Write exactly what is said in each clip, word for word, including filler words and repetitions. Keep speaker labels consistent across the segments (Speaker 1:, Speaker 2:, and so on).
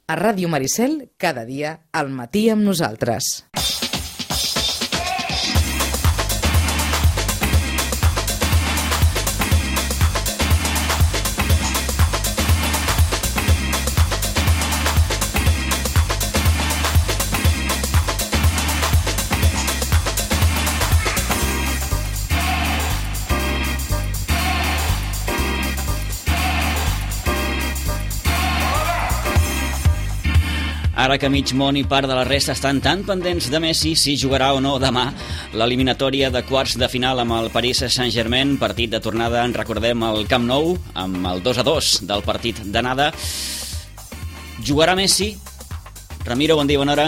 Speaker 1: A Ràdio Maricel, cada dia, al matí amb nosaltres.
Speaker 2: Ara que mig món i part de la resta estan tan pendents de Messi si jugarà o no demà l'eliminatòria de quarts de final amb el Paris Saint-Germain, partit de tornada, en recordem, al Camp Nou, amb el dos a dos del partit d'anada. Jugarà Messi? Ramiro, bon dia, bona hora.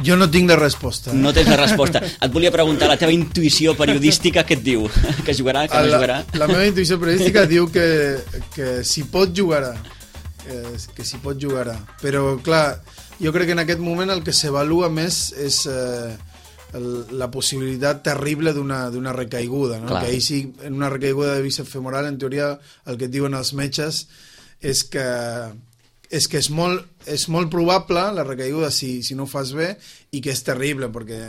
Speaker 3: Jo no tinc la resposta. Eh?
Speaker 2: No tens la resposta. Et volia preguntar, la teva intuïció periodística què et diu? Que jugarà, que no
Speaker 3: la,
Speaker 2: jugarà?
Speaker 3: La meva intuïció periodística diu que, que si pot jugarà. Que, que si pot jugarà. Però, clar, jo crec que en aquest moment el que s'avalua més és eh, el, la possibilitat terrible d'una d'una recaiguda, no? Que ahir sí, en una recaiguda de bíceps femoral, en teoria el que et diuen els metges és que és que és molt, és molt probable la recaiguda si, si no ho fas bé, i que és terrible perquè,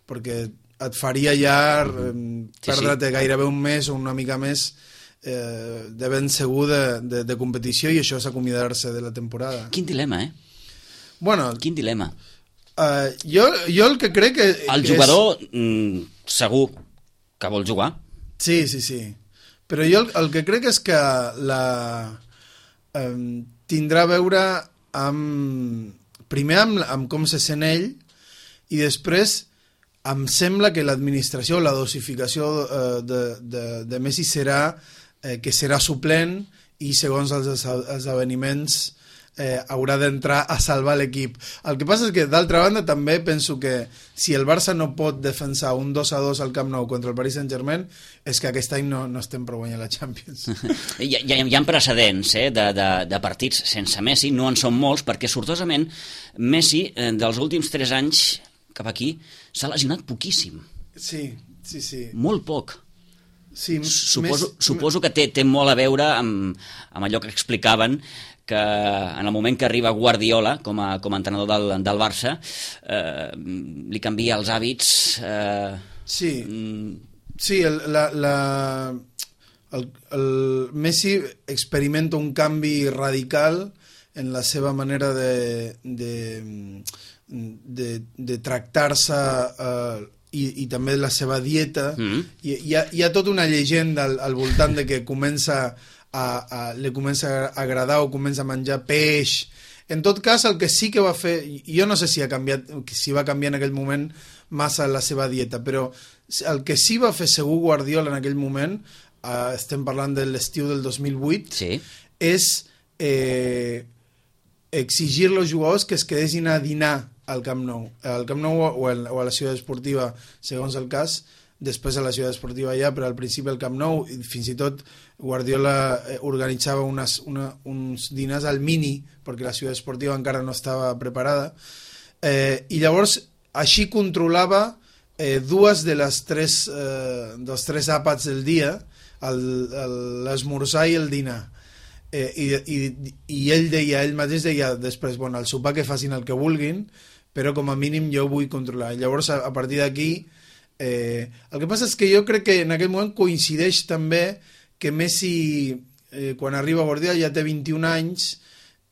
Speaker 3: perquè et faria ja mm-hmm. eh, perdre't sí, sí. gairebé un mes o una mica més eh, de ben segur de, de, de competició, i això és acomiadar-se de la temporada.
Speaker 2: Quin dilema, eh?
Speaker 3: Bueno,
Speaker 2: quin dilema.
Speaker 3: Uh, jo, jo el que crec que...
Speaker 2: El
Speaker 3: que
Speaker 2: jugador
Speaker 3: és...
Speaker 2: mm, segur que vol jugar.
Speaker 3: Sí, sí, sí. Però jo el, el que crec és que la um, tindrà a veure amb... Primer amb, amb com se sent ell, i després em sembla que l'administració, la dosificació uh, de, de, de Messi serà eh, que serà suplent, i segons els esdeveniments Eh, haurà d'entrar a salvar l'equip. El que passa és que, d'altra banda, també penso que si el Barça no pot defensar un dos a dos al Camp Nou contra el Paris Saint-Germain, és que aquest any no, no estem per guanyar la Champions.
Speaker 2: hi, hi, hi ha precedents eh, de, de, de partits sense Messi, no en són molts, perquè sortosament Messi, eh, dels últims tres anys cap aquí, s'ha lesionat poquíssim.
Speaker 3: Sí, sí, sí.
Speaker 2: Molt poc.
Speaker 3: Sí,
Speaker 2: suposo,
Speaker 3: més...
Speaker 2: suposo que té, té molt a veure amb, amb allò que explicaven, que en el moment que arriba Guardiola com a, com a entrenador del, del Barça eh, li canvia els hàbits. eh,
Speaker 3: sí,
Speaker 2: mm...
Speaker 3: sí el, la, la, el, el Messi experimenta un canvi radical en la seva manera de de, de, de tractar-se eh, i, i també la seva dieta. mm. I, hi, ha, hi ha tota una llegenda al, al voltant de que comença A, a, li comença a agradar o comença a menjar peix. En tot cas, el que sí que va fer, jo no sé si ha canviat, si va canviar en aquell moment massa la seva dieta, però el que sí va fer segur Guardiola en aquell moment, eh, estem parlant de l'estiu del dos mil vuit,
Speaker 2: sí.
Speaker 3: és eh, exigir als jugadors que es quedessin a dinar al Camp Nou, al Camp Nou o, el, o a la Ciutat Esportiva, segons el cas, després a la Ciutat Esportiva ja, però al principi al Camp Nou, i fins i tot Guardiola organitzava unes, una, uns dinars al Mini, perquè la Ciutat Esportiva encara no estava preparada, eh, i llavors així controlava eh, dues de les tres, eh, dels tres àpats del dia, l'esmorzar i el dinar. Eh, i, i, i ell deia, ell mateix deia després, bueno, al sopar que facin el que vulguin, però com a mínim jo vull controlar. Llavors, a, a partir d'aquí, Eh, el que passa és que jo crec que en aquell moment coincideix també que Messi, eh, quan arriba a Guardiola, ja té vint-i-un anys,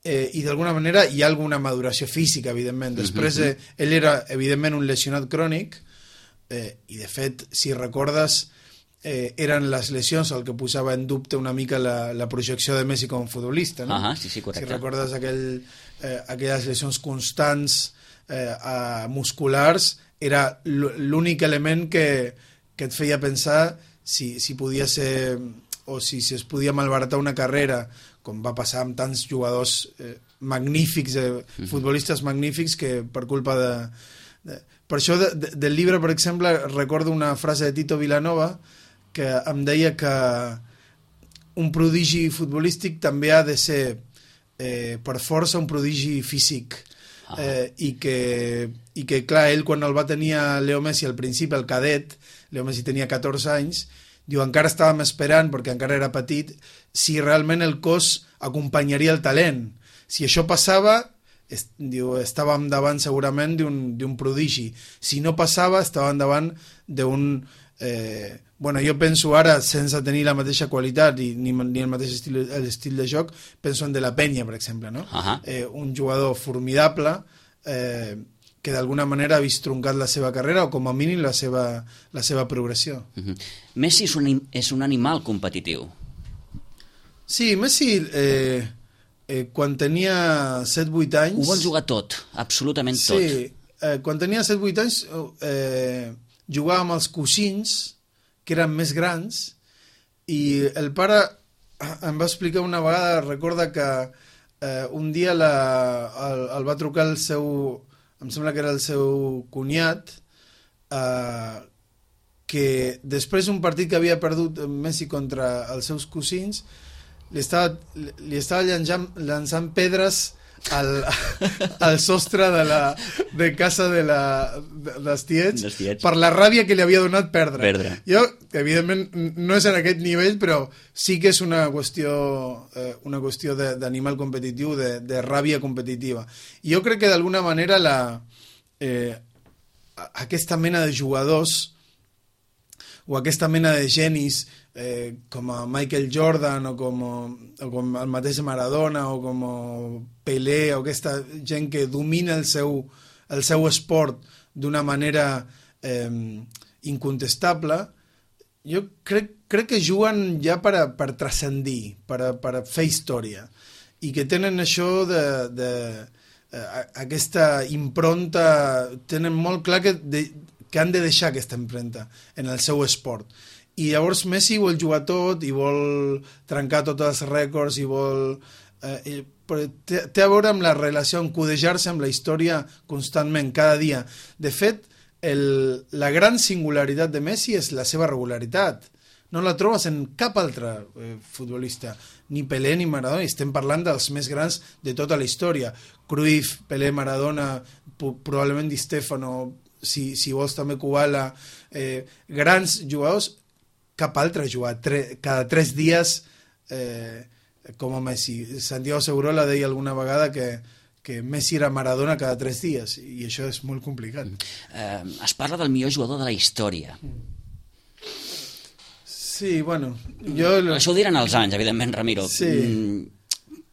Speaker 3: eh, i d'alguna manera hi ha alguna maduració física, evidentment. Després, eh, ell era, evidentment, un lesionat crònic, eh, i de fet, si recordes, eh, eren les lesions el que posava en dubte una mica la, la projecció de Messi com a futbolista, no?
Speaker 2: Uh-huh, sí, sí, correcte.
Speaker 3: Si recordes aquell, eh, aquelles lesions constants eh, a musculars, era l'únic element que, que et feia pensar si, si podia ser, o si, si es podia malbaratar una carrera, com va passar amb tants jugadors eh, magnífics, eh, futbolistes magnífics, que per culpa de... de per això de, de, del llibre, per exemple, recordo una frase de Tito Vilanova que em deia que un prodigi futbolístic també ha de ser eh, per força un prodigi físic. Eh, i, que, i que clar, ell quan el va tenir a Leo Messi al principi, el cadet, Leo Messi tenia catorze anys, diu, encara estàvem esperant, perquè encara era petit, si realment el cos acompanyaria el talent. Si això passava, est, diu, estàvem davant segurament d'un prodigi. Si no passava, estàvem davant d'un... Eh, bueno, jo penso ara, sense tenir la mateixa qualitat i ni, ni el mateix estil, el estil de joc, penso en De La Peña, per exemple, no?
Speaker 2: Uh-huh.
Speaker 3: eh, un jugador formidable eh, que d'alguna manera ha vist truncat la seva carrera o com a mínim la seva, la seva progressió.
Speaker 2: Uh-huh. Messi és un, és un animal competitiu.
Speaker 3: Sí, Messi eh, eh, quan tenia set vuit anys...
Speaker 2: Ho vol jugar tot, absolutament tot.
Speaker 3: Sí, eh, quan tenia set vuit anys eh, jugava amb els coixins que eren més grans i el pare em va explicar una vegada, recorda que eh, un dia la, el, el va trucar el seu, em sembla que era el seu cunyat, eh, que després d'un partit que havia perdut Messi contra els seus cosins li estava, li estava llançant, llançant pedres al, al sostre de, la, de casa de la, de, dels tiets,
Speaker 2: tiets
Speaker 3: per la ràbia que li havia donat perdre.
Speaker 2: perdre.
Speaker 3: Jo, evidentment, no és en aquest nivell, però sí que és una qüestió, eh, una qüestió d'animal competitiu, de, de ràbia competitiva. I jo crec que d'alguna manera la, eh, aquesta mena de jugadors o aquesta mena de genis eh, com a Michael Jordan o com, o com el mateix Maradona o com Pelé o aquesta gent que domina el seu, el seu esport d'una manera eh, incontestable, jo crec, crec que juguen ja per, a, per transcendir, per, a, per a fer història i que tenen això de, de eh, aquesta impronta, tenen molt clar que de, que han de deixar aquesta empremta en el seu esport. I llavors Messi vol jugar tot i vol trencar tots els rècords i vol... Eh, però té, té a veure amb la relació, amb codejar-se amb la història constantment, cada dia. De fet, el, la gran singularitat de Messi és la seva regularitat. No la trobes en cap altre eh, futbolista, ni Pelé ni Maradona, i estem parlant dels més grans de tota la història. Cruyff, Pelé, Maradona, probablement Di Stefano, si, si vols també Kubala, eh, grans jugadors, cap altre jugar tre, cada tres dies eh, com a Messi. Santiago Segurola deia alguna vegada que, que Messi era Maradona cada tres dies i això és molt complicat.
Speaker 2: Eh, es parla del millor jugador de la història.
Speaker 3: Sí, bueno... Jo...
Speaker 2: Això ho diran els anys, evidentment, Ramiro.
Speaker 3: Sí.
Speaker 2: Mm,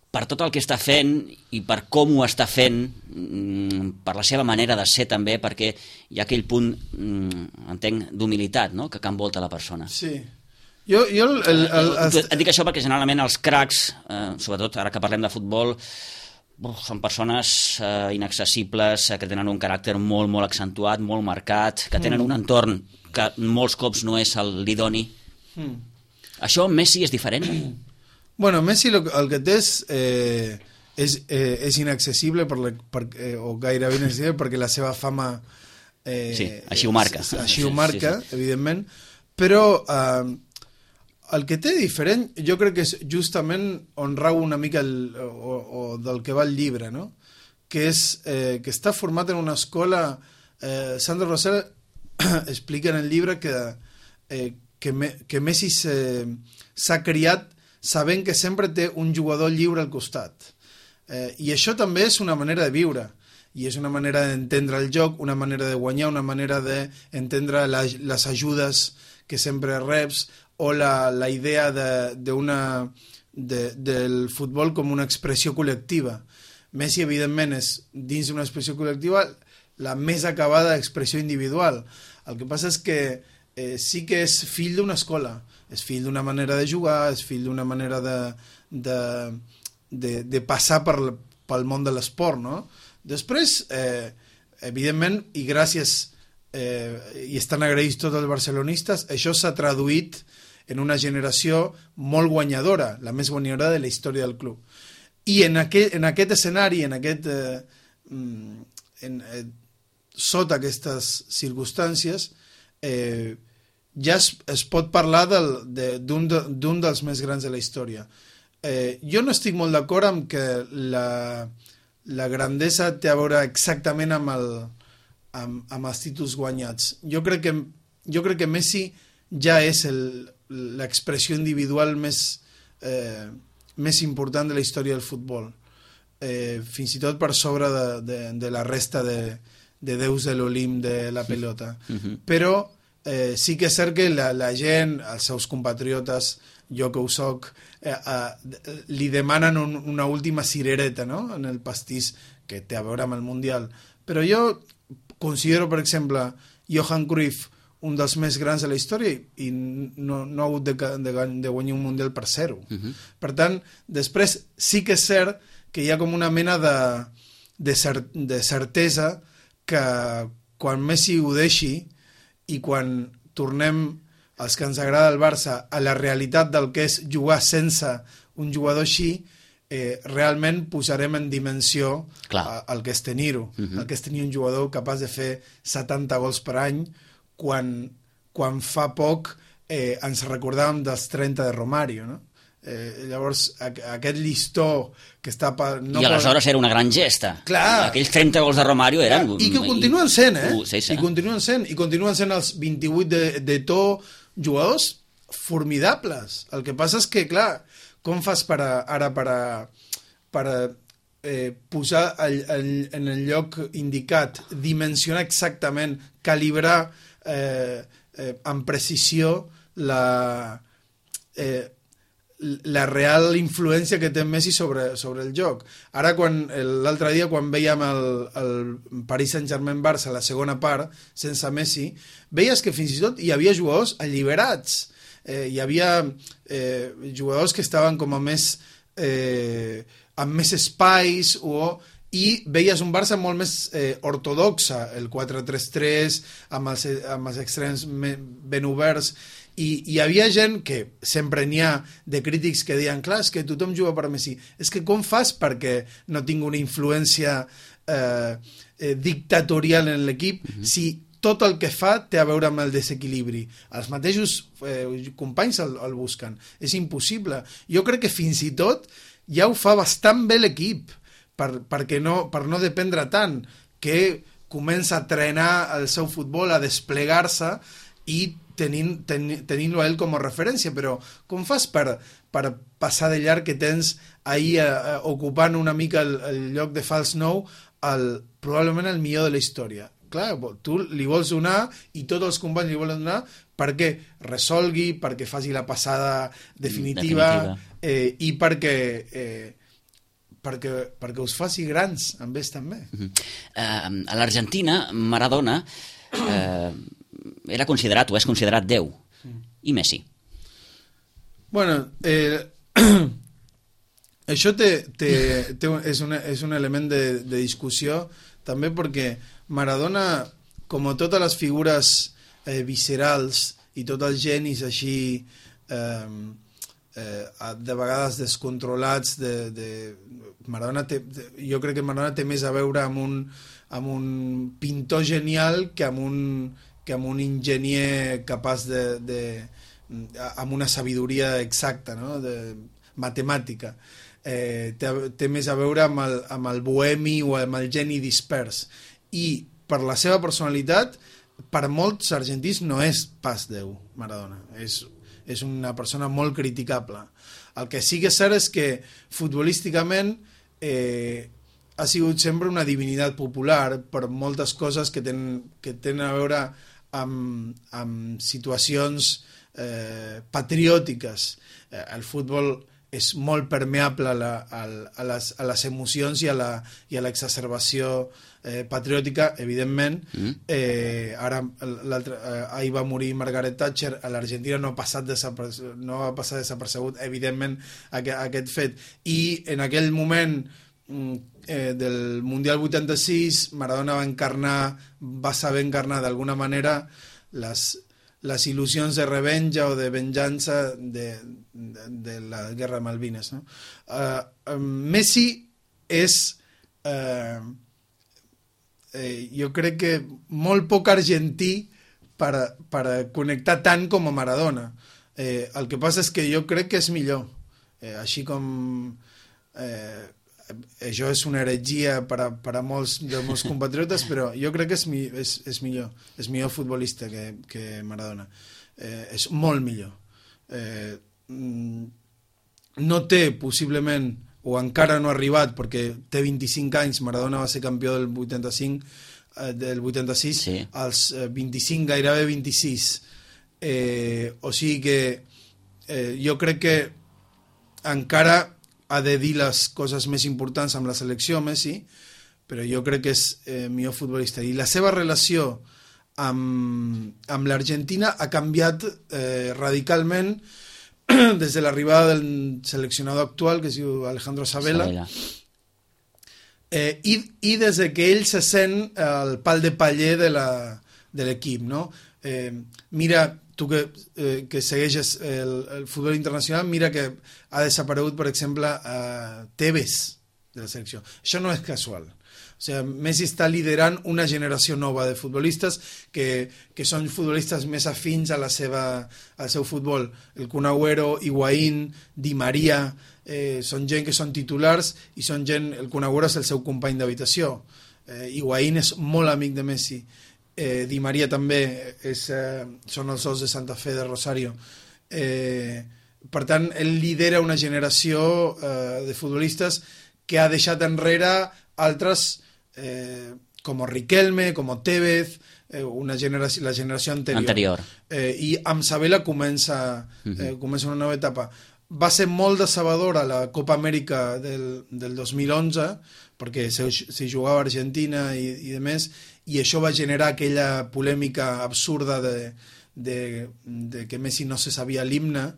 Speaker 2: per tot el que està fent i per com ho està fent, per la seva manera de ser també, perquè hi ha aquell punt, entenc, d'humilitat, no?, que envolta la persona.
Speaker 3: Sí. Jo, jo el, el, el, el...
Speaker 2: Et dic això perquè generalment els cracs, eh, sobretot ara que parlem de futbol, uf, són persones eh, inaccessibles, eh, que tenen un caràcter molt, molt accentuat, molt marcat, que tenen mm. un entorn que molts cops no és l'idoni. Mm. Això amb Messi és diferent?
Speaker 3: Bueno, Messi lo, el que té és, eh, és, eh, és inaccessible per la, per, eh, o gairebé inaccessible perquè la seva fama... Eh,
Speaker 2: sí, així ho marca.
Speaker 3: Eh, així ho marca, sí, sí. Evidentment, però eh, el que té diferent jo crec que és justament on rau una mica el, o, o del que va el llibre, no? Que és eh, que està format en una escola... Eh, Sandro Rosell explica en el llibre que, eh, que, me, que Messi s'ha criat sabent que sempre té un jugador lliure al costat. Eh, I això també és una manera de viure, i és una manera d'entendre el joc, una manera de guanyar, una manera d'entendre la, les ajudes que sempre reps, o la, la idea de, de una, de, del futbol com una expressió col·lectiva. Messi, evidentment, és dins d'una expressió col·lectiva la més acabada expressió individual. El que passa és que eh, sí que és fill d'una escola, és fill d'una manera de jugar, és fill d'una manera de, de, de, de passar per, pel món de l'esport, no? Després, eh, evidentment, i gràcies, eh, i estan agraïts tots els barcelonistes, això s'ha traduït en una generació molt guanyadora, la més guanyadora de la història del club. I en aquest, en aquest escenari, en aquest, eh, en, eh, sota aquestes circumstàncies, eh, ja es, es pot parlar d'un de, de, dels més grans de la història. Eh, jo no estic molt d'acord amb que la, la grandesa té a veure exactament amb, el, amb, amb els títols guanyats. Jo crec que, jo crec que Messi ja és l'expressió individual més, eh, més important de la història del futbol. eh, fins i tot per sobre de, de, de la resta de, de déus de l'Olimp de la pelota. Uh-huh. Però eh, sí que és cert que la, la gent, els seus compatriotes, jo que ho soc, eh, eh, li demanen un, una última cirereta, no?, en el pastís que té a veure amb el Mundial. Però jo considero, per exemple, Johan Cruyff un dels més grans de la història i no, no ha hagut de, de, de guanyar un Mundial per zero. Uh-huh. Per tant, després sí que és cert que hi ha com una mena de, de, cer, de certesa que quan Messi ho deixi i quan tornem els que ens agrada el Barça a la realitat del que és jugar sense un jugador així, eh, realment posarem en dimensió a, el que és tenir-ho. Uh-huh. El que és tenir un jugador capaç de fer setanta gols per any quan, quan fa poc eh, ens recordàvem dels trenta de Romario, no? Eh, llavors, a, aquest llistó que està... Pa, no
Speaker 2: I aleshores per... era una gran gesta.
Speaker 3: Clar.
Speaker 2: Aquells trenta gols de Romario eren...
Speaker 3: I que ho continuen sent, eh?
Speaker 2: Uh, sí, sí.
Speaker 3: I continuen sent, i continuen sent els vint-i-vuit de, de to jugadors formidables. El que passa és que, clar, com fas per a, ara per a, per a eh, posar el, el, en el lloc indicat, dimensionar exactament, calibrar eh, eh, amb precisió la, eh, la real influència que té Messi sobre, sobre el joc. Ara, quan l'altre dia, quan veiem el, el Paris Saint-Germain-Barça, la segona part, sense Messi, veies que fins i tot hi havia jugadors alliberats. Eh, hi havia eh, jugadors que estaven com a més... Eh, amb més espais o... i veies un Barça molt més eh, ortodoxa, el quatre tres tres, amb els, amb els extrems ben oberts, i hi havia gent que sempre n'hi ha de crítics que deien, clar, és que tothom juga per Messi, és que com fas perquè no tingui una influència eh, eh, dictatorial en l'equip, uh-huh. si tot el que fa té a veure amb el desequilibri. Els mateixos eh, companys el, el busquen. És impossible. Jo crec que fins i tot ja ho fa bastant bé l'equip, per, perquè no, per no dependre tant, que comença a trenar el seu futbol, a desplegar-se i tenint, ten, tenint-lo a ell com a referència. Però com fas per, per passar de llarg que tens ahir a, a, ocupant una mica el, el lloc de fals nou, el, probablement el millor de la història? Clar, tu li vols donar i tots els companys li volen donar perquè resolgui, perquè faci la passada definitiva, definitiva. Eh, i perquè... Eh, perquè, perquè us faci grans amb ells també.
Speaker 2: Uh-huh. Uh, a l'Argentina, Maradona uh, era considerat o és considerat Déu. Mm. I Messi?
Speaker 3: Bueno, eh, això té, té, té, és, una, és un element de, de discussió també perquè Maradona, com totes les figures eh, viscerals i tots els genis així eh, eh, de vegades descontrolats de, de Maradona té, jo crec que Maradona té més a veure amb un, amb un pintor genial que amb un, que amb un enginyer capaç de, de amb una sabidoria exacta, no? De, matemàtica. Eh, té, té més a veure amb el, amb el bohemi o amb el geni dispers. I per la seva personalitat, per molts argentins no és pas Déu, Maradona. És, és una persona molt criticable. El que sí que és cert és que futbolísticament eh, ha sigut sempre una divinitat popular per moltes coses que tenen, que tenen a veure amb, amb situacions eh, patriòtiques. Eh, el futbol és molt permeable a, la, a, a, les, a les emocions i a la, i a l'exacerbació eh, patriòtica, evidentment. Mm. Eh, ara, eh, ahir va morir Margaret Thatcher, a l'Argentina no ha passat desapercebut, no ha passat desapercebut, evidentment, aquest, aquest fet. I en aquell moment eh, del Mundial vuitanta-sis, Maradona va encarnar, va saber encarnar d'alguna manera les... les il·lusions de revenja o de venjança de, de, de la guerra de Malvines, no? Uh, Messi és uh, eh, jo crec que molt poc argentí per, per connectar tant com a Maradona. Eh, el que passa és que jo crec que és millor, eh, així com eh, això és una heretgia per a, per a molts dels meus compatriotes, però jo crec que és, és, és millor, és millor futbolista que, que Maradona. Eh, és molt millor. Eh, no té possiblement o encara no ha arribat, perquè té vint-i-cinc anys, Maradona va ser campió del vuitanta-cinc, eh, del vuitanta-sis,
Speaker 2: sí.
Speaker 3: als eh, vint-i-cinc, gairebé vint-i-sis. Eh, o sigui que eh, jo crec que encara ha de dir les coses més importants amb la selecció, Messi, però jo crec que és eh, millor futbolista. I la seva relació amb, amb l'Argentina ha canviat eh, radicalment des de l'arribada del seleccionador actual, que es diu Alejandro Sabella,
Speaker 2: Sabella.
Speaker 3: Eh, i, i des de que ell se sent el pal de paller de la, de l'equip, no? Eh, mira, tu que, eh, que segueixes el, el futbol internacional, mira que ha desaparegut, per exemple, a Tevez de la selecció. Això no és casual. O sigui, Messi està liderant una generació nova de futbolistes que, que són futbolistes més afins a la seva, al seu futbol. El Kun Agüero, Higuaín, Di Maria, eh, són gent que són titulars i són gent, el Kun Agüero és el seu company d'habitació. Eh, Higuaín és molt amic de Messi. Eh, Di Maria també és, eh, són els dos de Santa Fe de Rosario. Eh, per tant, ell lidera una generació eh, de futbolistes que ha deixat enrere altres eh, com Riquelme, com Tevez, eh, una generació, la generació anterior.
Speaker 2: anterior.
Speaker 3: Eh, I amb Sabella comença, eh, comença una nova etapa. Va ser molt decebedora la Copa Amèrica del, del dos mil onze, perquè s'hi jugava a Argentina i, i de més, i això va generar aquella polèmica absurda de, de, de que Messi no se sabia l'himne,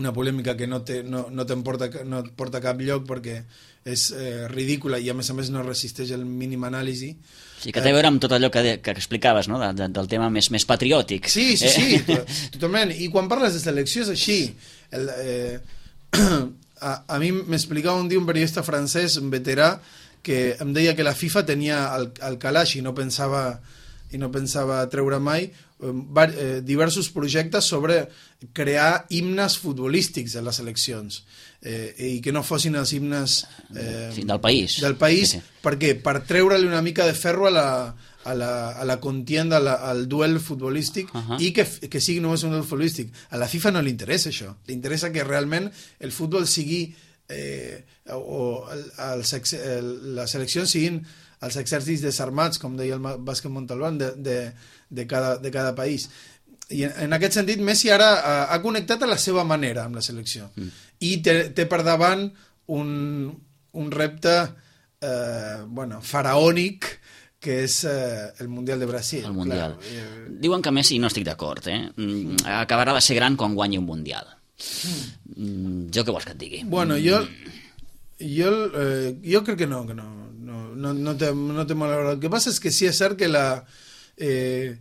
Speaker 3: una polèmica que no, te, no, no te'n porta, no et porta a cap lloc perquè és eh, ridícula i a més a més no resisteix el mínim anàlisi.
Speaker 2: Sí, que té a veure amb tot allò que, que explicaves, no? de, de, del tema més, més patriòtic.
Speaker 3: Sí, sí, sí, eh? totalment. I quan parles de selecció és així. El, eh, a, a mi m'explicava un dia un periodista francès, un veterà, que em deia que la FIFA tenia el, el calaix i no pensava i no pensava treure mai eh, diversos projectes sobre crear himnes futbolístics de les seleccions eh, i que no fossin els himnes eh,
Speaker 2: sí, del país,
Speaker 3: del país
Speaker 2: sí, sí.
Speaker 3: Per què? Per treure-li una mica de ferro a la, a la, a la contienda, a la, al duel futbolístic uh -huh. i que, que sigui només un duel futbolístic. A la FIFA no li interessa això, li interessa que realment el futbol sigui eh, o el, el, el, les seleccions siguin els exèrcits desarmats, com deia el Bàsquet Montalbán, de, de, de, cada, de cada país. I en, en aquest sentit, Messi ara ha, ha connectat a la seva manera amb la selecció. Mm. I té, té per davant un, un repte eh, bueno, faraònic, que és eh, el Mundial de Brasil.
Speaker 2: El Mundial.
Speaker 3: Clar.
Speaker 2: Diuen que Messi, no estic d'acord, eh? acabarà de ser gran quan guanyi un Mundial. Mm. Jo què vols que et digui?
Speaker 3: Bueno, jo... Jo, eh, jo crec que no, que no, no, no, no té, no té mal hora. El que passa és que sí és cert que la, eh,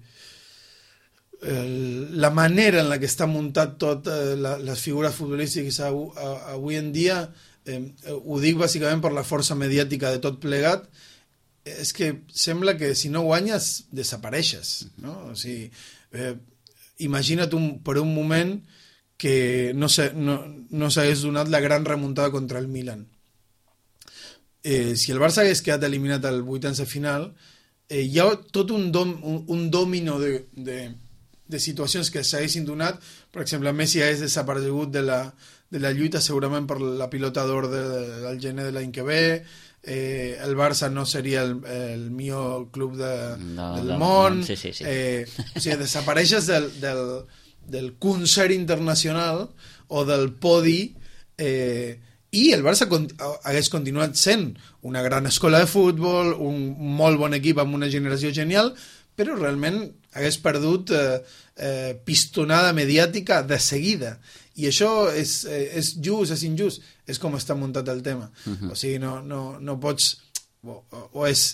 Speaker 3: el, la manera en la que està muntat tot eh, la, les figures futbolístiques avui, avui en dia, eh, ho dic bàsicament per la força mediàtica de tot plegat, és que sembla que si no guanyes desapareixes, no? O sigui, eh, imagina't un, per un moment que no s'hagués no, no donat la gran remuntada contra el Milan. Eh, si el Barça hagués quedat eliminat al vuitens de final, eh, hi ha tot un, dom, un, un domino de, de, de situacions que s'haguessin donat. Per exemple, Messi hagués desaparegut de la, de la lluita segurament per la pilota d'or de, del gener de l'any que ve, eh, el Barça no seria el, el millor club de,
Speaker 2: no,
Speaker 3: del
Speaker 2: no,
Speaker 3: món,
Speaker 2: no, sí, sí, sí.
Speaker 3: Eh, o sigui, desapareixes del, del, del concert internacional o del podi, eh, i el Barça con hagués continuat sent una gran escola de futbol, un molt bon equip amb una generació genial, però realment hagués perdut eh, eh, pistonada mediàtica de seguida. I això és, eh, és just, és injust, és com està muntat el tema. Uh-huh. O sigui, no, no, no pots... O, o és...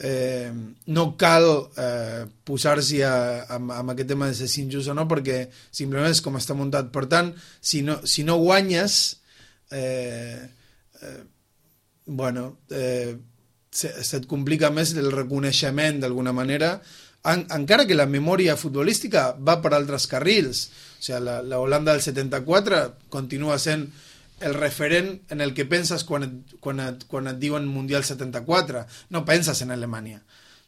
Speaker 3: Eh, no cal eh, posar-s'hi amb, amb aquest tema de ser injust o no, perquè simplement és com està muntat. Per tant, si no, si no guanyes... Eh, eh, bueno eh, se, se't complica més el reconeixement d'alguna manera, en, encara que la memòria futbolística va per altres carrils. O sigui, la, la Holanda del setanta-quatre continua sent el referent en el que penses quan et, quan et, quan et diuen Mundial setanta-quatre. No penses en Alemanya.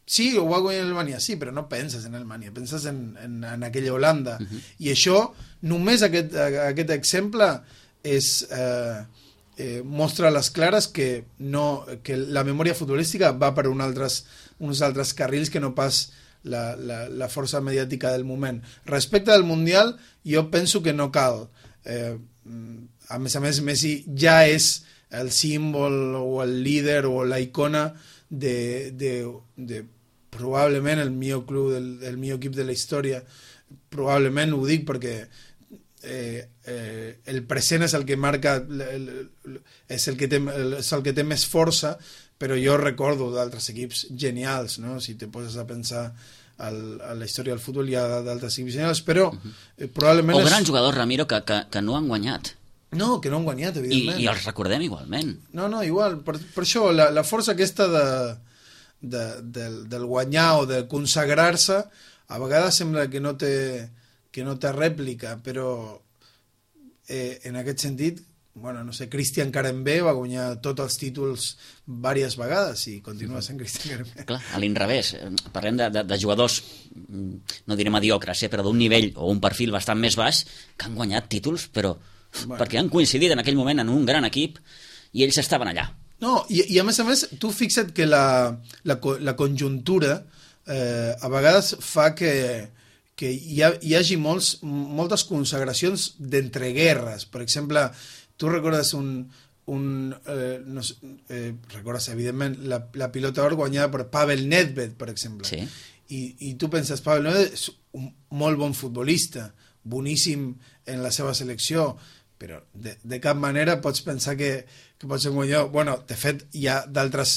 Speaker 3: Sí, ho va guanyar Alemanya, sí, però no penses en Alemanya, penses en, en, en aquella Holanda. Uh-huh. I això, només aquest, aquest exemple és, eh, eh, mostra a les clares que, no, que la memòria futbolística va per un altres, uns altres carrils que no pas la, la, la força mediàtica del moment. Respecte al Mundial, jo penso que no cal. Eh, a més a més, Messi ja és el símbol o el líder o la icona de, de, de probablement el millor club, del, el millor equip de la història. Probablement ho dic perquè eh, eh, el present és el que marca, el, és, el que té, és el que té més força, però jo recordo d'altres equips genials, no? Si te poses a pensar al, a la història del futbol hi ha d'altres equips genials, però eh, probablement...
Speaker 2: O
Speaker 3: és...
Speaker 2: grans jugadors, Ramiro, que, que, que no han guanyat.
Speaker 3: No, que no han guanyat, evidentment.
Speaker 2: I, i els recordem igualment.
Speaker 3: No, no, igual. Per, per això, la, la força aquesta de, de, del, del guanyar o de consagrar-se, a vegades sembla que no té, que no té rèplica, però eh, en aquest sentit, bueno, no sé, Cristian Carembé va guanyar tots els títols diverses vegades i continua sent Cristian Carembé.
Speaker 2: Clar, a l'inrevés, parlem de, de, de jugadors, no diré mediocres, eh, però d'un nivell o un perfil bastant més baix, que han guanyat títols, però... Bueno. Perquè han coincidit en aquell moment en un gran equip i ells estaven allà.
Speaker 3: No, i, i a més a més, tu fixa't que la, la, la conjuntura eh, a vegades fa que, que hi, ha, hi hagi molts, moltes consagracions d'entreguerres. Per exemple, tu recordes un... un eh, no sé, eh, recordes, evidentment, la, la pilota d'or guanyada per Pavel Nedved, per exemple.
Speaker 2: Sí.
Speaker 3: I, i tu penses, Pavel Nedved és un molt bon futbolista, boníssim en la seva selecció, però de, de cap manera pots pensar que, que pot ser un guanyador. Bueno, de fet, hi ha d'altres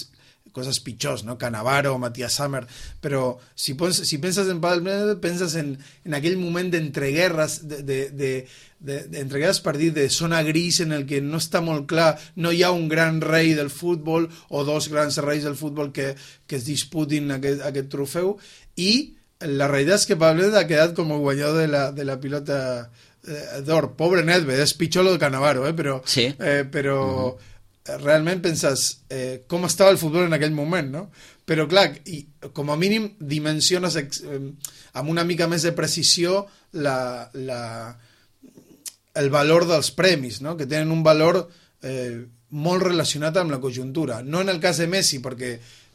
Speaker 3: coses pitjors, no? Cannavaro, Matías Sammer, però si, pons, si penses en Pavel Nedved, penses en, en aquell moment d'entreguerres, de, de, de, de, d'entreguerres per dir de zona gris en el que no està molt clar, no hi ha un gran rei del futbol o dos grans reis del futbol que, que es disputin aquest, aquest trofeu, i la realitat és que Pavel Nedved ha quedat com el guanyador de la, de la pilota d'or. Pobre Nedved, és pitjor lo de Cannavaro, eh? però,
Speaker 2: sí.
Speaker 3: eh, però uh-huh. realment penses eh, com estava el futbol en aquell moment, no? Però clar, i, com a mínim dimensiones eh, amb una mica més de precisió la, la, el valor dels premis, no? Que tenen un valor eh, molt relacionat amb la conjuntura. No en el cas de Messi, perquè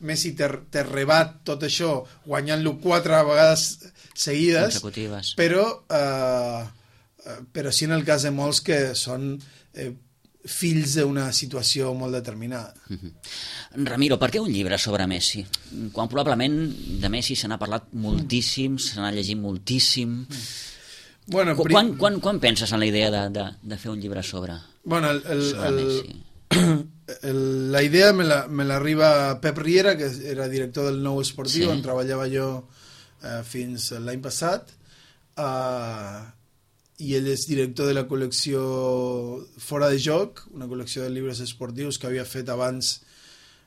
Speaker 3: Messi te, te rebat tot això guanyant-lo quatre vegades seguides, però... Eh, però sí en el cas de molts que són eh, fills d'una situació molt determinada.
Speaker 2: Uh-huh. Ramiro, per què un llibre sobre Messi? Quan probablement de Messi se n'ha parlat moltíssim, se n'ha llegit moltíssim.
Speaker 3: Bueno,
Speaker 2: Qu- quan, quan, quan penses en la idea de, de, de fer un llibre sobre,
Speaker 3: bueno, el, el,
Speaker 2: sobre
Speaker 3: el,
Speaker 2: Messi?
Speaker 3: El, la idea me, la, me l'arriba Pep Riera, que era director del Nou Esportiu,
Speaker 2: sí.
Speaker 3: on treballava jo eh, fins l'any passat, eh, i ell és director de la col·lecció Fora de Joc, una col·lecció de llibres esportius que havia fet abans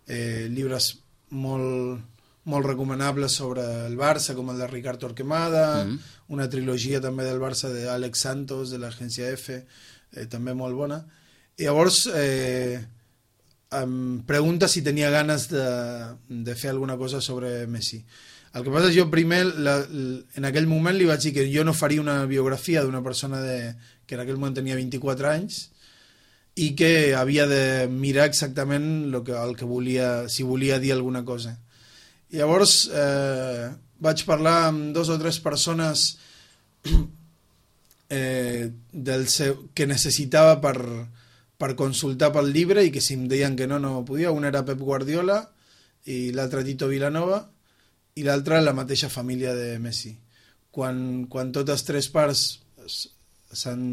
Speaker 3: eh, llibres molt, molt recomanables sobre el Barça, com el de Ricard Torquemada, mm-hmm. una trilogia també del Barça d'Àlex Santos, de l'agència F, eh, també molt bona. I llavors eh, em pregunta si tenia ganes de, de fer alguna cosa sobre Messi. El que passa és que jo primer, la, en aquell moment li vaig dir que jo no faria una biografia d'una persona de, que en aquell moment tenia vint-i-quatre anys i que havia de mirar exactament lo que, el que volia, si volia dir alguna cosa. I llavors eh, vaig parlar amb dos o tres persones eh, del seu, que necessitava per, per consultar pel llibre i que si em deien que no, no podia. Un era Pep Guardiola i l'altre Tito Vilanova, i l'altra la mateixa família de Messi. Quan, quan totes tres parts s'han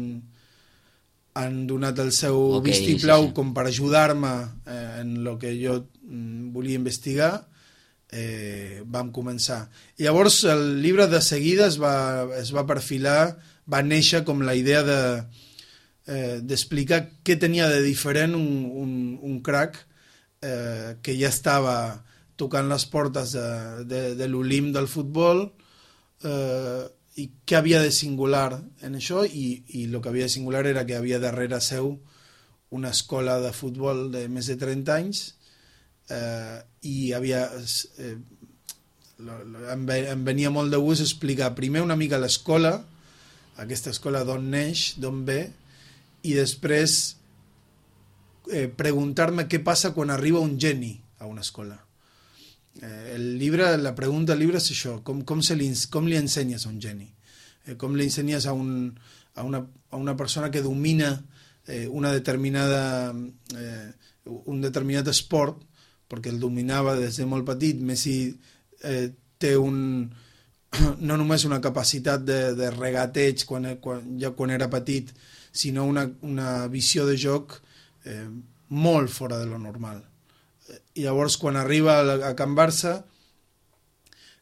Speaker 3: han donat el seu okay, vistiplau sí, sí. com per ajudar-me eh, en el que jo mm, volia investigar, eh, vam començar. I llavors el llibre de seguida es va, es va perfilar, va néixer com la idea de eh, d'explicar què tenia de diferent un, un, un crack eh, que ja estava tocant les portes de, de, de l'Olimp del futbol eh, i què havia de singular en això i, i el que havia de singular era que havia darrere seu una escola de futbol de més de trenta anys eh, i havia eh, em, em venia molt de gust explicar primer una mica l'escola, aquesta escola d'on neix, d'on ve, i després eh, preguntar-me què passa quan arriba un geni a una escola. Eh, el llibre, la pregunta del llibre és això, com, com, se li, com li ensenyes a un geni? Eh, com li ensenyes a, un, a, una, a una persona que domina eh, una determinada, eh, un determinat esport, perquè el dominava des de molt petit. Messi eh, té un, no només una capacitat de, de regateig quan, quan, ja quan era petit, sinó una, una visió de joc eh, molt fora de lo normal. I llavors, quan arriba a, a Can Barça,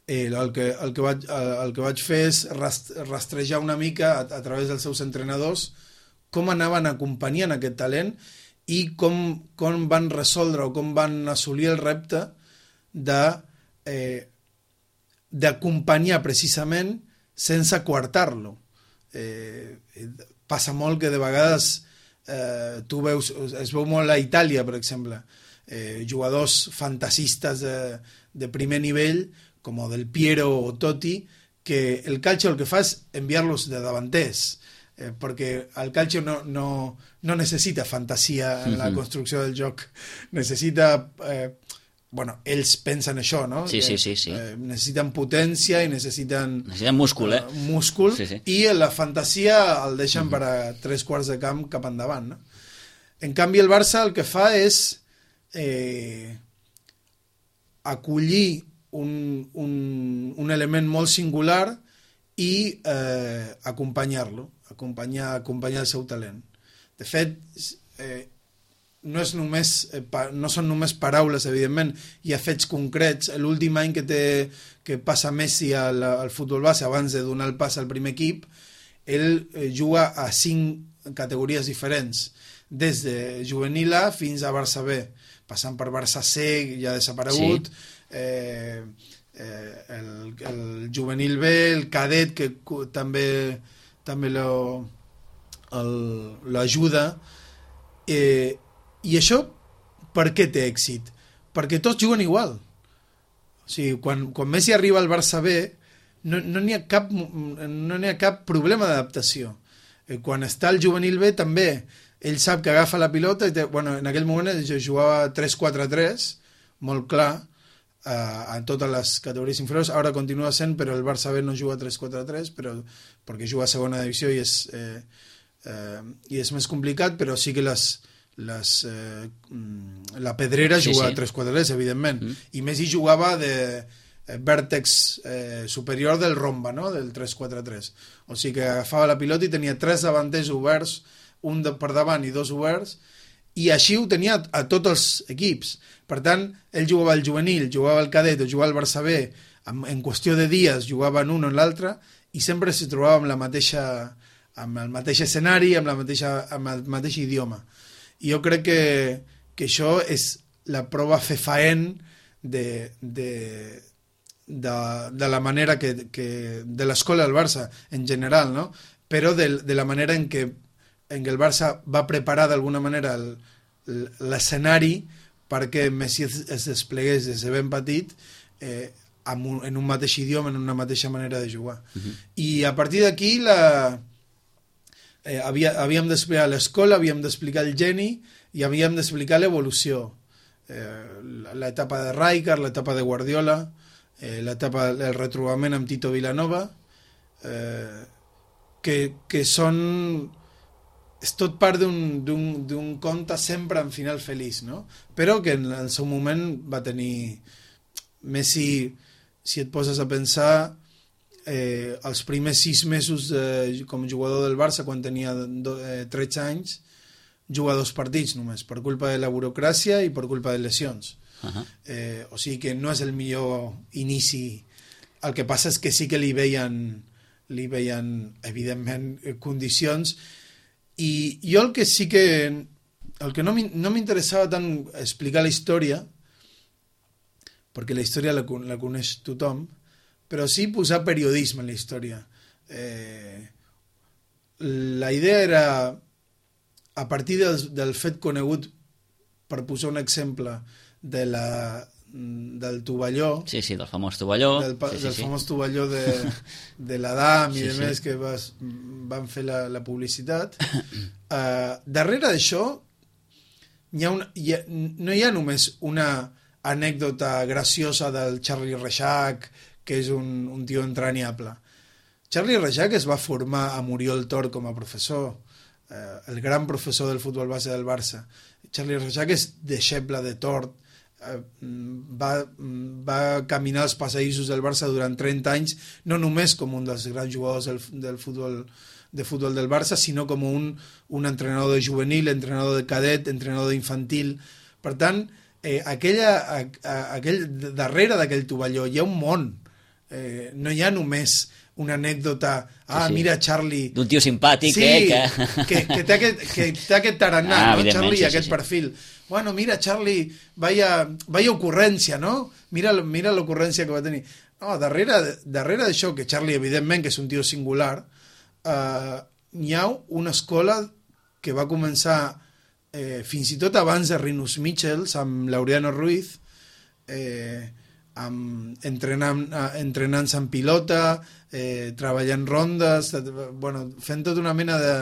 Speaker 3: eh, el, que, el, que vaig, el que vaig fer és rast, rastrejar una mica a, a través dels seus entrenadors com anaven acompanyant aquest talent i com, com van resoldre o com van assolir el repte de eh, d'acompanyar precisament sense coartar-lo. Eh, passa molt que de vegades eh, tu veus, es veu molt a Itàlia, per exemple, eh, jugadors fantasistes de, de primer nivell, com Del Piero o Totti, que el calcio el que fa és enviar-los de davanters, eh, perquè el calcio no, no, no necessita fantasia en la construcció del joc, necessita... Eh, bueno, ells pensen això, no?
Speaker 2: Sí, sí, sí, sí.
Speaker 3: Eh, necessiten potència i necessiten...
Speaker 2: Necessiten múscul, eh?
Speaker 3: Uh, múscul,
Speaker 2: sí, sí.
Speaker 3: I la fantasia el deixen uh -huh. per a tres quarts de camp cap endavant, no? En canvi, el Barça el que fa és eh, acollir un, un, un element molt singular i eh, acompanyar-lo, acompanyar, acompanyar el seu talent. De fet, eh, no, és només, no són només paraules, evidentment, hi ha fets concrets. L'últim any que, té, que passa Messi al, al futbol base, abans de donar el pas al primer equip, ell juga a cinc categories diferents, des de juvenil A fins a Barça B, passant per Barça C, ja desaparegut, sí. eh, eh, el, el juvenil B, el cadet, que també, també l'ajuda. Eh, I això, per què té èxit? Perquè tots juguen igual. O sigui, quan, quan Messi arriba al Barça B, no no n'hi ha cap, no n'hi ha cap problema d'adaptació. Eh, quan està al juvenil B, també, ell sap que agafa la pilota, i té, bueno, en aquell moment jo jugava tres quatre tres, molt clar, eh, en totes les categories inferiors, ara continua sent, però el Barça B no juga tres quatre tres, però, perquè juga a segona divisió i és, eh, eh, i és més complicat, però sí que les... Les, eh, la Pedrera sí, jugava sí. tres quatre tres, evidentment, mm. i Messi jugava de eh, vèrtex eh, superior del romba, no? Del tres quatre tres. O sigui que agafava la pilota i tenia tres davanters oberts, un de, per davant i dos oberts, i així ho tenia a, a tots els equips. Per tant, ell jugava al juvenil, jugava al cadet o jugava al Barça B, en, en qüestió de dies jugava en un o en l'altre, i sempre se trobava amb, la mateixa, amb el mateix escenari, amb, la mateixa, amb el mateix idioma. I jo crec que, que això és la prova fefaent de, de, de, de la manera que, que de l'escola del Barça en general, no? Però de, de la manera en què, en què el Barça va preparar d'alguna manera l'escenari perquè Messi es, es desplegués des de ben petit eh, amb un, en un mateix idioma, en una mateixa manera de jugar. Uh-huh. I a partir d'aquí la... Eh, havia, havíem d'explicar l'escola, havíem d'explicar el geni i havíem d'explicar l'evolució. Eh, l'etapa de Rijkaard, l'etapa de Guardiola, eh, l'etapa del retrobament amb Tito Vilanova, eh, que, que són... És tot part d'un conte sempre en final feliç, no? Però que en el seu moment va tenir... Messi, si et poses a pensar... Eh, els primers sis mesos de, com a jugador del Barça, quan tenia do, eh, tretze anys, juga dos partits només, per culpa de la burocràcia i per culpa de lesions. Uh-huh. eh, o sigui que no és el millor inici. El que passa és que sí que li veien, li veien evidentment, condicions, i jo el que sí que el que no m'interessava tant explicar la història, perquè la història la, la coneix tothom, però sí posar periodisme en la història. Eh, la idea era, a partir del, del fet conegut, per posar un exemple, de la, del tovalló...
Speaker 2: Sí, sí, del famós tovalló.
Speaker 3: Del,
Speaker 2: sí, sí,
Speaker 3: del
Speaker 2: sí.
Speaker 3: famós tovalló de, de l'Adam i
Speaker 2: sí,
Speaker 3: de
Speaker 2: sí.
Speaker 3: més que vas, van fer la, la publicitat. Uh, darrere d'això hi ha una, hi ha, no hi ha només una anècdota graciosa del Charlie Reixac, que és un, un tio entranyable. Charlie Reixac es va formar a Muriel Tor com a professor, eh, el gran professor del futbol base del Barça. Charlie Reixac és deixeble de Tort, eh, va, va caminar els passadissos del Barça durant trenta anys, no només com un dels grans jugadors del, del futbol de futbol del Barça, sinó com un, un entrenador de juvenil, entrenador de cadet, entrenador d'infantil. Per tant, eh, aquella, a, a, aquell, darrere d'aquell tovalló hi ha un món. Eh, no hi ha només una anècdota, ah, sí, sí. mira Charlie...
Speaker 2: D'un tio simpàtic,
Speaker 3: sí,
Speaker 2: eh? Que,
Speaker 3: que, que té aquest, que té aquest tarannà,
Speaker 2: ah,
Speaker 3: no? Charlie,
Speaker 2: sí,
Speaker 3: aquest
Speaker 2: sí,
Speaker 3: perfil. Bueno, mira, Charlie, vaya, vaya ocurrència, no? Mira, mira l'ocurrència que va tenir. No, darrere, darrere d'això, que Charlie, evidentment, que és un tio singular, eh, hi ha una escola que va començar eh, fins i tot abans de Rinus Michels, amb Laureano Ruiz, eh, amb, entrenant, entrenant-se en pilota, eh, treballant rondes, bueno, fent tota una mena de,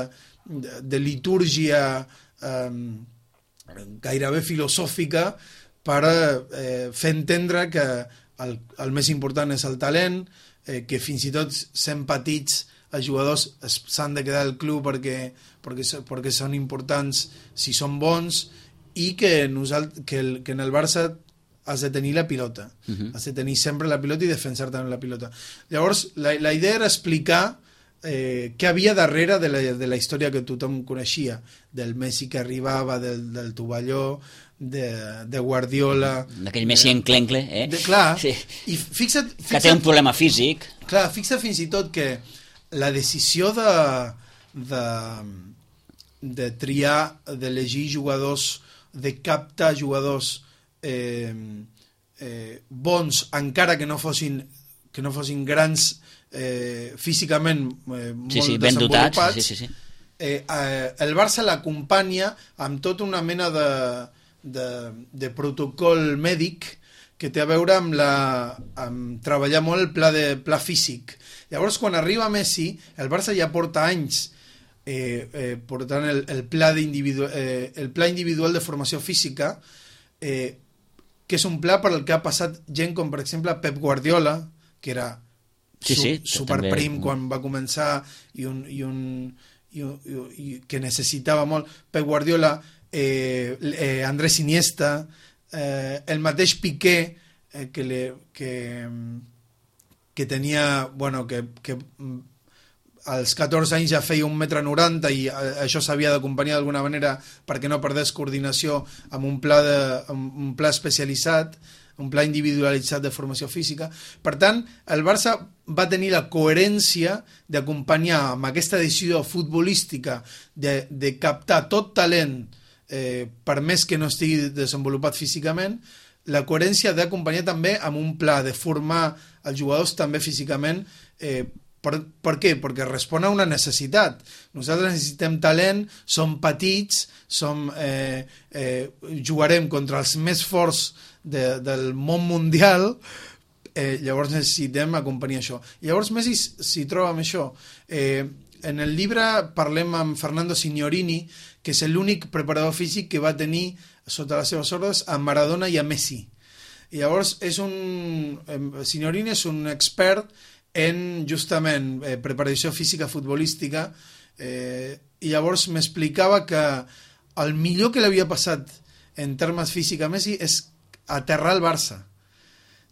Speaker 3: de, de litúrgia eh, gairebé filosòfica per eh, fer entendre que el, el més important és el talent, eh, que fins i tot sent petits els jugadors s'han de quedar al club perquè, perquè, perquè són importants si són bons, i que, nosalt, que, el, que en el Barça has de tenir la pilota, uh-huh. has de tenir sempre la pilota i defensar també la pilota. Llavors, la, la idea era explicar eh, què havia darrere de la, de la història que tothom coneixia, del Messi que arribava, del, del tovalló, de, de Guardiola...
Speaker 2: D'aquell Messi enclencle, eh?
Speaker 3: De, clar,
Speaker 2: sí.
Speaker 3: I fixa't, fixa't...
Speaker 2: Que té un problema físic.
Speaker 3: Clar, fixa't fins i tot que la decisió de, de, de triar, d'elegir jugadors, de captar jugadors Eh, eh, bons, encara que no fossin que no fossin grans eh, físicament eh, molt
Speaker 2: sí, sí, ben
Speaker 3: desenvolupats,
Speaker 2: dotats, sí, sí, sí.
Speaker 3: Eh, eh, el Barça l'acompanya amb tota una mena de, de, de protocol mèdic que té a veure amb, la, amb treballar molt el pla, de, pla físic. Llavors, quan arriba Messi, el Barça ja porta anys eh, eh, portant el, el, pla individu eh, el pla individual de formació física, eh, que és un pla per al que ha passat gent com, per exemple, Pep Guardiola, que era
Speaker 2: sí, sí,
Speaker 3: su, superprim
Speaker 2: també...
Speaker 3: quan va començar i, un, i, un, i, i, i que necessitava molt. Pep Guardiola, eh, eh, Andrés Iniesta, eh, el mateix Piqué, eh, que, le, que, que tenia, bueno, que, que als catorze anys ja feia un metre noranta i això s'havia d'acompanyar d'alguna manera perquè no perdés coordinació amb un pla, de, amb un pla especialitzat, un pla individualitzat de formació física. Per tant, el Barça va tenir la coherència d'acompanyar amb aquesta decisió futbolística de, de captar tot talent, eh, per més que no estigui desenvolupat físicament, la coherència d'acompanyar també amb un pla de formar els jugadors també físicament. eh, Per, per què? Perquè respon a una necessitat. Nosaltres necessitem talent, som petits, som, eh, eh, jugarem contra els més forts de, del món mundial, eh, llavors necessitem acompanyar això. Llavors Messi s'hi troba amb això. Eh, en el llibre parlem amb Fernando Signorini, que és l'únic preparador físic que va tenir sota les seves ordres a Maradona i a Messi. I llavors és un, eh, Signorini és un expert en justament eh, preparació física futbolística, eh, i llavors m'explicava que el millor que l'havia passat en termes físics a Messi és aterrar el Barça.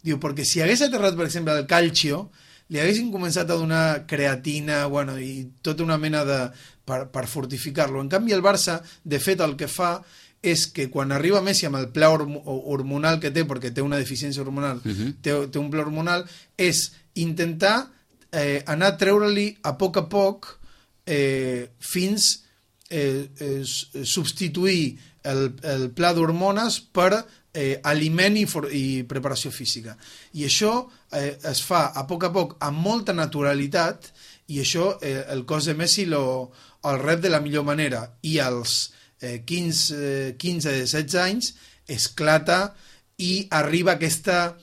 Speaker 3: Diu, perquè si hagués aterrat, per exemple, el Calcio, li haguessin començat a donar creatina, bueno, i tota una mena de... per, per fortificar-lo. En canvi, el Barça, de fet, el que fa és que quan arriba Messi amb el pla hormonal que té, perquè té una deficiència hormonal, uh-huh. té, té un pla hormonal, és intentar eh, anar a treure-li a poc a poc eh, fins eh, eh, substituir el, el pla d'hormones per eh, aliment i, for, i preparació física. I això eh, es fa a poc a poc amb molta naturalitat, i això eh, el cos de Messi lo, el rep de la millor manera, i als eh, quinze, setze anys esclata i arriba a aquesta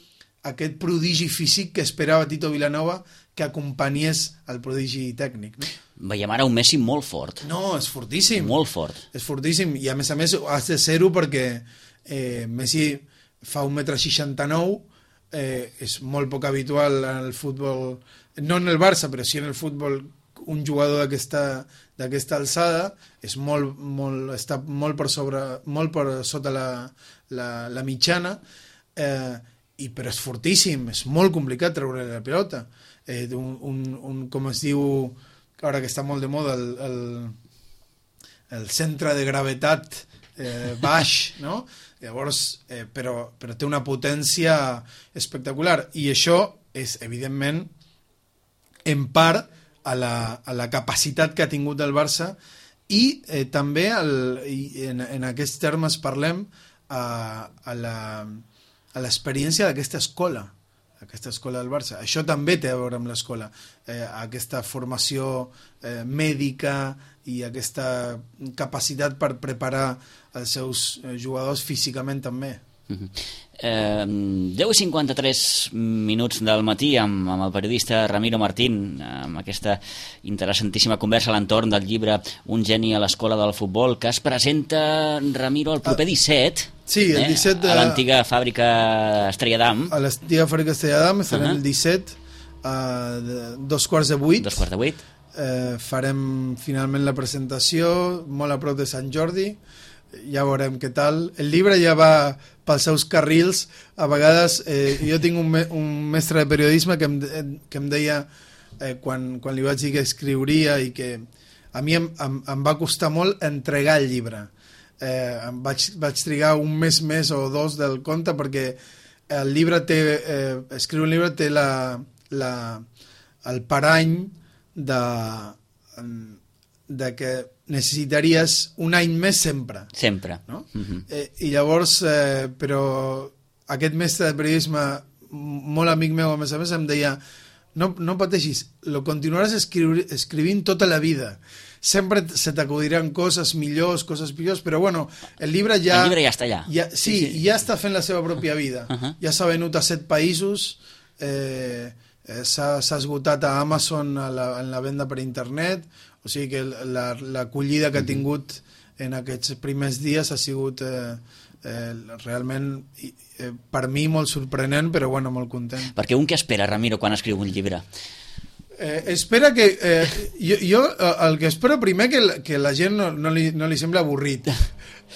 Speaker 3: aquest prodigi físic que esperava Tito Vilanova que acompanyés el prodigi tècnic. No?
Speaker 2: Veiem ara un Messi molt fort.
Speaker 3: No, és fortíssim.
Speaker 2: Molt fort.
Speaker 3: És fortíssim, i a més a més has de ser-ho perquè eh, Messi fa un metre seixanta-nou, eh, és molt poc habitual en el futbol, no en el Barça, però sí en el futbol, un jugador d'aquesta d'aquesta alçada, és molt, molt, està molt per, sobre, molt per sota la, la, la mitjana, eh, i, però és fortíssim, és molt complicat treure la pilota. Eh, un, un, un, com es diu, ara que està molt de moda, el, el, el centre de gravetat eh, baix, no? Llavors, eh, però, però té una potència espectacular, i això és, evidentment, en part a la, a la capacitat que ha tingut el Barça, i eh, també el, i en, en aquests termes parlem a, a la a l'experiència d'aquesta escola, aquesta escola del Barça. Això també té a veure amb l'escola, eh, aquesta formació eh, mèdica i aquesta capacitat per preparar els seus jugadors físicament també.
Speaker 2: Uh-huh. eh, deu i cinquanta-tres minuts del matí amb, amb el periodista Ramiro Martín, amb aquesta interessantíssima conversa a l'entorn del llibre Un geni a l'escola del futbol, que es presenta, Ramiro, el proper disset.
Speaker 3: Sí, el disset de...
Speaker 2: a l'antiga fàbrica Estrella d'Am.
Speaker 3: A l'antiga fàbrica Estrella d'Am serà uh-huh. el disset a dos quarts de vuit.
Speaker 2: Dos quarts de vuit.
Speaker 3: Eh, farem finalment la presentació molt a prop de Sant Jordi, ja veurem què tal. El llibre ja va pels seus carrils. A vegades eh, jo tinc un, me un mestre de periodisme que em, que em deia eh, quan, quan li vaig dir que escriuria, i que a mi em, em, em va costar molt entregar el llibre. Eh, em vaig, vaig trigar un mes més o dos del conte, perquè el llibre té, eh, escriure un llibre té la, la, el parany de, de que necessitaries un any més sempre.
Speaker 2: Sempre.
Speaker 3: No?
Speaker 2: Uh-huh.
Speaker 3: eh, I llavors, eh, però aquest mestre de periodisme, molt amic meu, a més a més, em deia no, no pateixis, lo continuaràs escriu escrivint tota la vida. Sempre se t'acudiran coses millors, coses pitjors, però bueno, el llibre ja...
Speaker 2: El llibre ja està allà.
Speaker 3: Ja, sí, sí, sí, ja està fent la seva pròpia vida.
Speaker 2: Uh-huh.
Speaker 3: Ja s'ha venut a set països, eh, eh, s'ha esgotat a Amazon a la, en la venda per internet, o sigui que l'acollida la, que ha tingut en aquests primers dies ha sigut eh, eh, realment eh, per mi molt sorprenent, però bueno, molt content.
Speaker 2: Perquè un què espera, Ramiro, quan escriu un llibre?
Speaker 3: Eh, espera que eh, jo, jo el que espero primer que, que la gent no, no, li, no li sembla avorrit.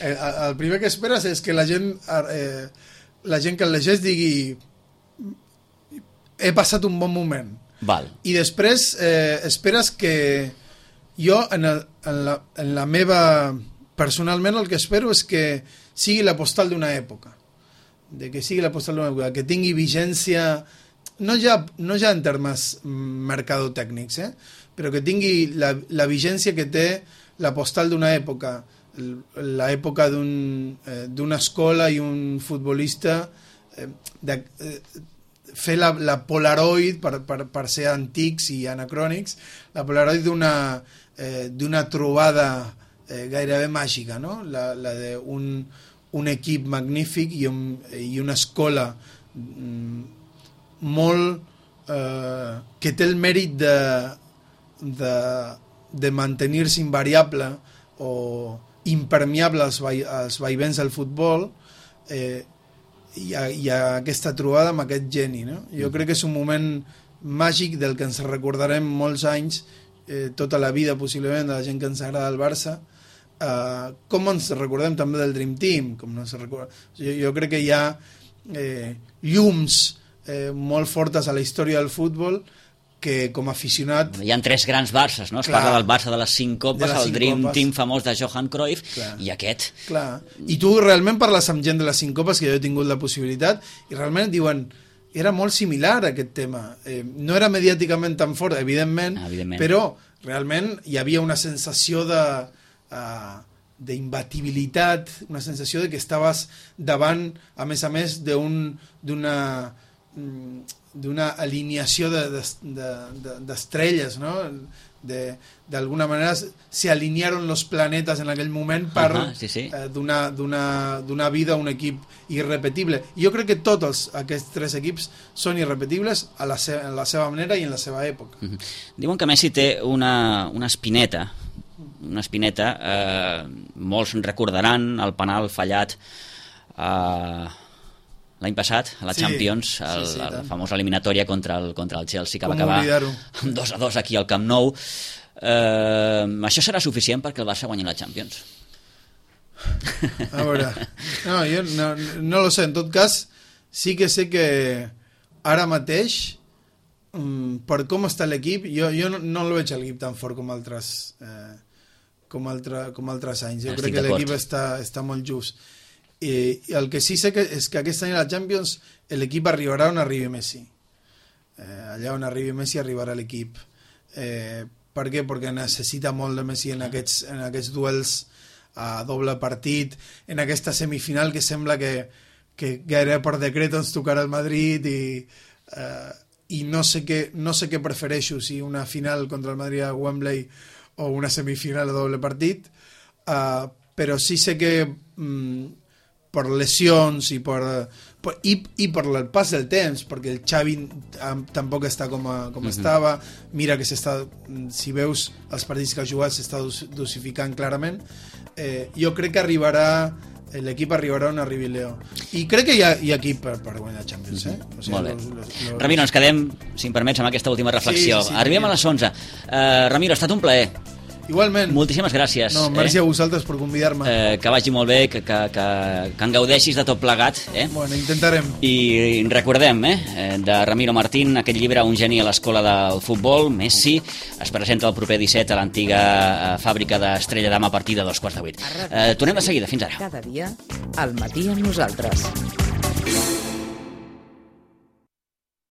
Speaker 3: Eh, el primer que esperes és que la gent eh, la gent que el llegeix digui he passat un bon moment.
Speaker 2: Val.
Speaker 3: I després eh, esperes que jo en, el, en, la, en la meva personalment el que espero és que sigui la postal d'una època, de que sigui la postal d'una època, que tingui vigència, no ja, no ja en termes mercadotècnics, eh? però que tingui la, la vigència que té la postal d'una època, l'època d'una un, eh, escola i un futbolista, eh, de, eh, fer la, la Polaroid, per, per, per ser antics i anacrònics, la Polaroid d'una eh, d'una trobada eh, gairebé màgica, no? la, la d'un un equip magnífic i, un, i una escola mm, molt eh, que té el mèrit de, de, de mantenir-se invariable o impermeable als, vai, als vaivens del futbol, eh, i a, i a aquesta trobada amb aquest geni, no? Jo crec que és un moment màgic del que ens recordarem molts anys, eh, tota la vida possiblement, de la gent que ens agrada el Barça, eh, com ens recordem també del Dream Team, com no se recorda... jo, jo crec que hi ha eh, llums eh, molt fortes a la història del futbol que com a aficionat...
Speaker 2: Hi ha tres grans Barces, no? Es clar, parla del Barça de les cinc copes, el cinc Dream copes. Team famós de Johan Cruyff, clar. I aquest.
Speaker 3: Clar. I tu realment parles amb gent de les cinc copes, que jo he tingut la possibilitat, i realment diuen, era molt similar a aquest tema. Eh, no era mediàticament tan fort, evidentment,
Speaker 2: ah, evidentment,
Speaker 3: però realment hi havia una sensació de... Uh, d'imbatibilitat, una sensació de que estaves davant, a més a més, d'una d'una alineació d'estrelles, de, de, de, ¿no? De, de alguna manera se alinearon los planetas en aquell moment per uh -huh, sí, sí. eh, donar, donar, donar vida a un equip irrepetible. Jo crec que tots els, aquests tres equips són irrepetibles a la, seva, a la seva manera i en la seva època.
Speaker 2: Uh -huh. Diuen que Messi té una, una espineta, una espineta, eh, molts recordaran el penal fallat eh, l'any passat, a la sí, Champions, el, sí, sí, la famosa eliminatòria contra el, contra el Chelsea, que Com va acabar amb dos a dos aquí al Camp Nou. Eh, això serà suficient perquè el Barça guanyi la Champions?
Speaker 3: A veure, no, jo no, no lo sé. En tot cas, sí que sé que ara mateix, per com està l'equip, jo, jo no, no el veig l'equip tan fort com altres, eh, com, altre, com altres anys. Jo Estic crec que l'equip està, està molt just. I el que sí sé que és que aquest any a la Champions l'equip arribarà on arribi Messi. Eh, allà on arribi Messi arribarà l'equip. Eh, per què? Perquè necessita molt de Messi en aquests, en aquests duels a doble partit, en aquesta semifinal que sembla que, que gairebé per decret ens tocarà el Madrid i, eh, i no sé què, no sé què prefereixo, si una final contra el Madrid a Wembley o una semifinal a doble partit, eh, però sí sé que mm, per lesions i per, per, i, i per el pas del temps, perquè el Xavi tampoc està com, a, com uh -huh. estava. Mira que s'està, si veus els partits que ha jugat, s'està dosificant clarament. Eh, jo crec que arribarà l'equip arribarà on arribi Leo, i crec que hi ha, hi ha equip per, per guanyar Champions, eh? O sigui,
Speaker 2: molt bé.
Speaker 3: Los, los, los...
Speaker 2: Ramiro, ens quedem, si em permets, amb aquesta última reflexió. Sí, sí, Arribem a les onze. Uh, Ramiro, ha estat un plaer.
Speaker 3: Igualment.
Speaker 2: Moltíssimes gràcies.
Speaker 3: No, merci
Speaker 2: eh?
Speaker 3: a vosaltres per convidar-me.
Speaker 2: Eh, que vagi molt bé, que, que, que, que en gaudeixis de tot plegat. Eh?
Speaker 3: Bueno, intentarem.
Speaker 2: I recordem, eh, de Ramiro Martín, aquest llibre Un geni a l'escola del futbol, Messi, es presenta el proper disset a l'antiga fàbrica d'Estrella d'Am a partir de dos quarts de vuit. Eh, tornem de seguida, fins ara.
Speaker 1: Cada dia, al matí amb nosaltres.